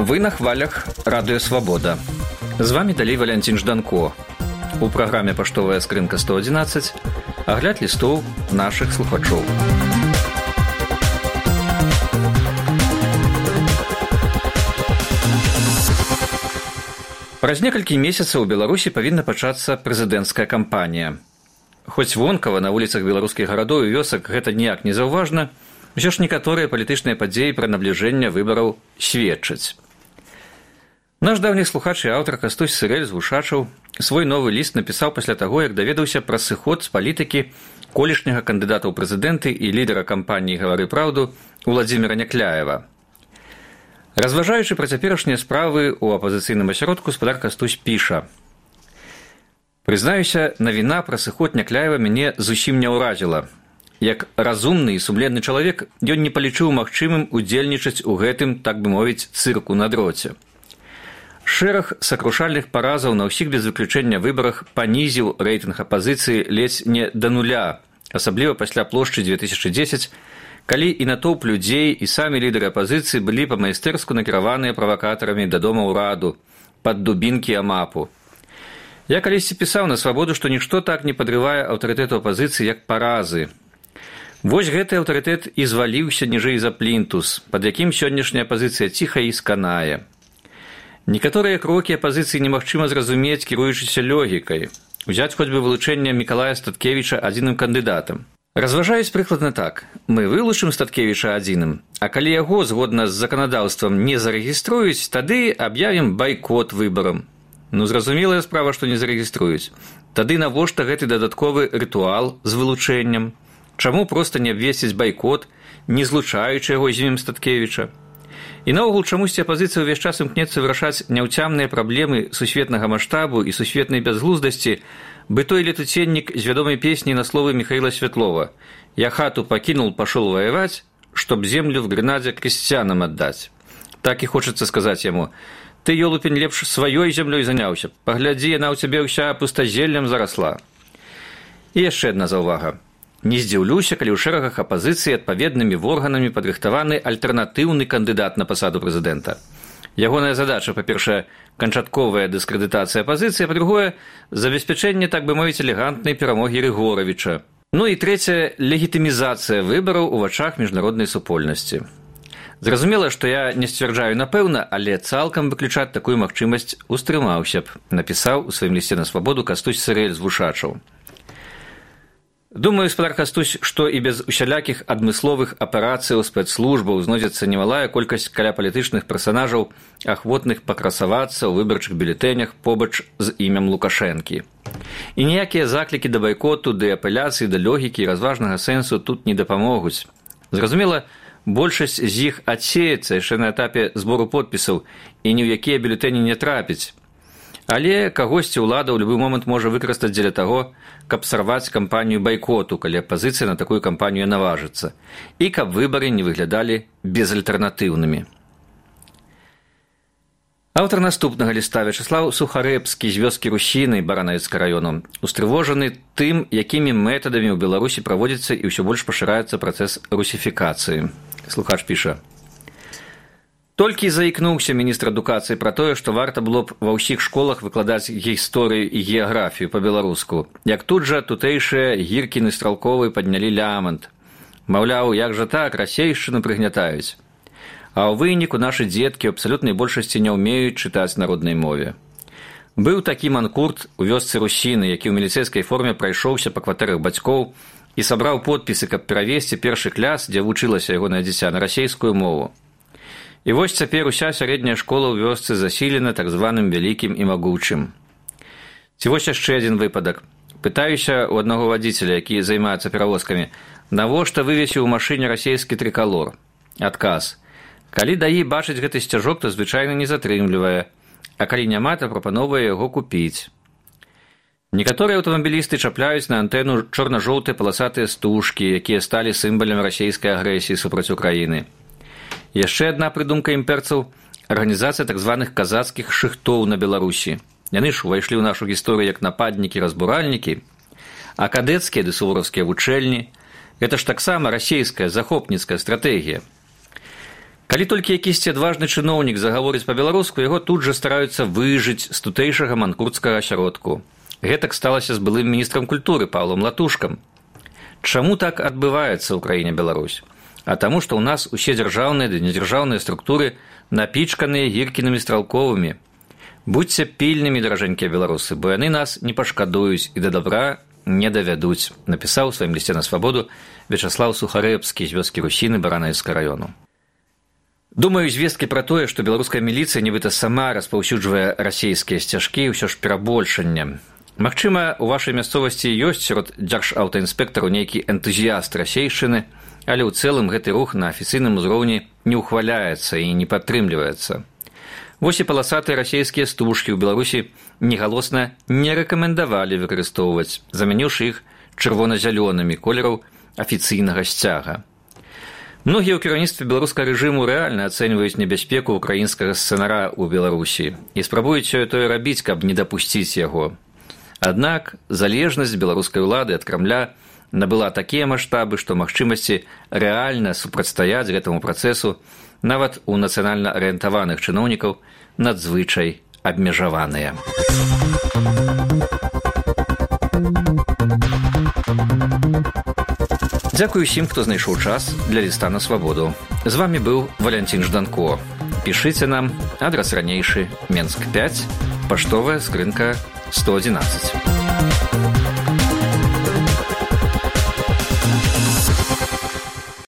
Вы на хвалях Радыё Свабода. З вами далей Валянцін Жданко. У праграме «Паштовая скрынка 111» агляд лістоў нашых слухачоў. Праз некалькі месяцаў у Беларусі павінна пачацца прэзідэнцкая кампанія. Хоць вонкава на вуліцах беларускіх гарадоў і вёсак гэта ніяк не заўважна, усё ж некаторыя палітычныя падзеі пра набліжэнне выбараў сведчаць. Наш давні слухач і аўтар Кастусь Сырэль з Вушачаў свой новы ліст напісаў пасля таго, як даведаўся пра сыход з палітыкі колішняга кандыдата ў прэзідэнты і лідара кампаніі «Гавары праўду» Уладзіміра Някляева. Разважаючы пра цяперашнія справы ў апазіцыйным асяродку, спадар Кастусь піша: «Прызнаюся, навіна пра сыход Някляева мяне зусім не ўразіла. Як разумны і сумленны чалавек, ён не палічыў магчымым удзельнічаць у гэтым, так бы мовіць, цырку на дроце. Шэраг сакрушальных паразаў на ўсіх без выключэння выбарах панізіў рэйтынг апазіцыі ледзь не да нуля, асабліва пасля плошчы 2010, калі і натоўп людзей, і самі лідары апазіцыі былі па-майстэрску накіраваныя правакатарамі да дома ўраду, пад дубінкі амапу. Я калісьці пісаў на Свабоду, што нішто так не падрывае аўтарытэту апазіцыі, як паразы. Вось гэты аўтарытэт і зваліўся ніжэй за плінтус, пад якім сённяшняя апазіцыя ціха і сканае. Некаторыя крокі апазіцыі немагчыма зразумець, кіруючыся логікай. Узяць хоць бы вылучэнне Мікалая Статкевіча адзіным кандыдатам. Разважаюць прыкладна так. Мы вылучым Статкевіча адзіным, а калі яго, згодна з заканадаўствам, не зарэгіструюць, тады аб'явім байкот выбарам. Ну, зразумелая справа, што не зарэгіструюць. Тады навошта гэты дадатковы рытуал з вылучэннем? Чаму проста не абвесціць байкот, не злучаючы яго з імем Статкевіча? І наогул чамусьці апазіцыя ўвесь час імкнецца вырашаць няўцямныя праблемы сусветнага маштабу і сусветнай бязглуздасці, бы той летуценнік з вядомай песні на словы Михаила Светлова: «Я хату покинул, пошел воевать, чтоб землю в Гренаде крестьянам отдать». Так і хочацца сказаць яму: «Ты, ёлупень, лепш сваёй зямлёй заняўся, паглядзі, яна ў цябе ўся пустазеллем зарасла». І яшчэ адна заўвага. Не здзіўлюся, калі ў шэрагах апазіцыі адпаведнымі органамі падрыхтаваны альтэрнатыўны кандыдат на пасаду прэзідэнта. Ягоная задача, па-першае, канчатковая дыскрэдытацыя апазіцыі, а па-другое, забеспячэнне, так бы мовіць, элегантнай перамогі Рыгоравіча. Ну і трэцяе, легітымізацыя выбараў у вачах міжнароднай супольнасці. Зразумела, што я не сцвярджаю напэўна, але цалкам выключаць такую магчымасць устрымаўся б, напісаў у сваім лісце на Свабоду Кастусь Сырэль з Вушачаў. Думаю, спадар Кастусь, што і без усялякіх адмысловых аперацыяў спецслужбаў знойдзецца немалая колькасць каля палітычных персанажаў, ахвотных пакрасавацца ў выбарчых бюлетэнях побач з імем Лукашэнкі. І ніякія заклікі да байкоту, да апеляцыі, да логікі і разважнага сэнсу тут не дапамогуць. Зразумела, большасць з іх адсеецца яшчэ на этапе збору подпісаў і ні ў якія бюлетэні не трапіць. Але кагосьці ўлада ў любы момант можа выкарыстаць дзеля таго, каб сарваць кампанію байкоту, калі апазіцыя на такую кампанію наважыцца, і каб выбары не выглядалі безальтэрнатыўнымі. Аўтар наступнага ліста Вячаслаў Сухарэбскі з вёскі Русіны Баранавіцкага раёну устрывожаны тым, якімі метадамі ў Беларусі праводзіцца і ўсё больш пашыраецца працэс русіфікацыі. Слухач піша: «Толькі заікнуўся міністр адукацыі пра тое, што варта было б ва ўсіх школах выкладаць гісторыю і геаграфію па-беларуску, як тут жа тутэйшыя Гіркін і Стралковы паднялі лямант. Маўляў, як жа так, расейшчыну прыгнятаюць. А ў выніку нашы дзеткі ў абсалютнай большасці не ўмеюць чытаць на роднай мове. Быў такі манкурт у вёсцы Русіны, які ў міліцэйскай форме прайшоўся па кватэрах бацькоў і сабраў подпісы, каб перавесці першы клас, дзе вучылася ягонае дзіця, на расейскую мову. І вось цяпер уся сярэдняя школа ў вёсцы засілена так званым вялікім і магучым. Ці вось яшчэ адзін выпадак. Пытаюся ў аднаго вадзіцеля, які займаецца перавозкамі, навошта вывесіў у машыне расейскі трыкалор? Адказ: калі даі бачыць гэты сцяжок, то звычайна не затрымлівае, а калі няма, то прапановвае яго купіць. Некаторыя аўтамабілісты чапляюць на антэну чорна-жоўтыя паласатыя стужкі, якія сталі сімвалам расейскай агрэсіі супраць Украіны. Яшчэ адна прыдумка імперцаў – арганізацыя так званых казацкіх шыхтоў на Беларусі. Яны ж увайшлі ў нашу гісторыю як нападнікі-разбуральнікі, а кадэцкія ды сувораўскія вучэльні – гэта ж таксама расейская захопніцкая стратэгія. Калі толькі якісьці адважны чыноўнік загаворыць па-беларуску, яго тут жа стараюцца выжыць з тутэйшага манкурцкага асяродку. Гэтак сталася з былым міністрам культуры Паўлам Латушкам. Чаму так адбываецца ў краіне Беларусь? А таму, што ў нас усе дзяржаўныя ды недзяржаўныя структуры напічканыя гіркінымі стралковымі. Будзьце пільнымі, даражэнькія беларусы, бо яны нас не пашкадуюць і да добра не давядуць, напісаў у сваім лісце на свабоду Вячаслаў Сухарэбскі з вёскі Русіны Баранавіцкага раёну. Думаю, звесткі пра тое, што беларуская міліцыя нібыта сама распаўсюджвае расейскія сцяжкі, ўсё ж перабольшанне. Магчыма, у вашай мясцовасці ёсць сярод дзяржаўтаінспектараў нейкі энтузіяст расейшчыны, але ў цэлым гэты рух на афіцыйным узроўні не ўхваляецца і не падтрымліваецца. Вось і паласатыя расейскія стужкі ў Беларусі негалосна не рэкамендавалі выкарыстоўваць, замяніўшы іх чырвона-зялёнымі колераў афіцыйнага сцяга. Многія ў кіраўніцтве беларускага рэжыму рэальна ацэньваюць небяспеку ўкраінскага сцэнара ў Беларусі і спрабуюць сёе-тое рабіць, каб не дапусціць яго. Аднак залежнасць беларускай улады ад Крамля набыла такія маштабы, што магчымасці рэальна супрацьстаяць гэтаму працэсу нават у нацыянальна арыентаваных чыноўнікаў надзвычай абмежаваныя. Дзякую усім, хто знайшоў час для ліста на свабоду. З вамі быў Валянцін Жданко. Пішыце нам, адрас ранейшы, Менск 5, паштовая скрынка 111.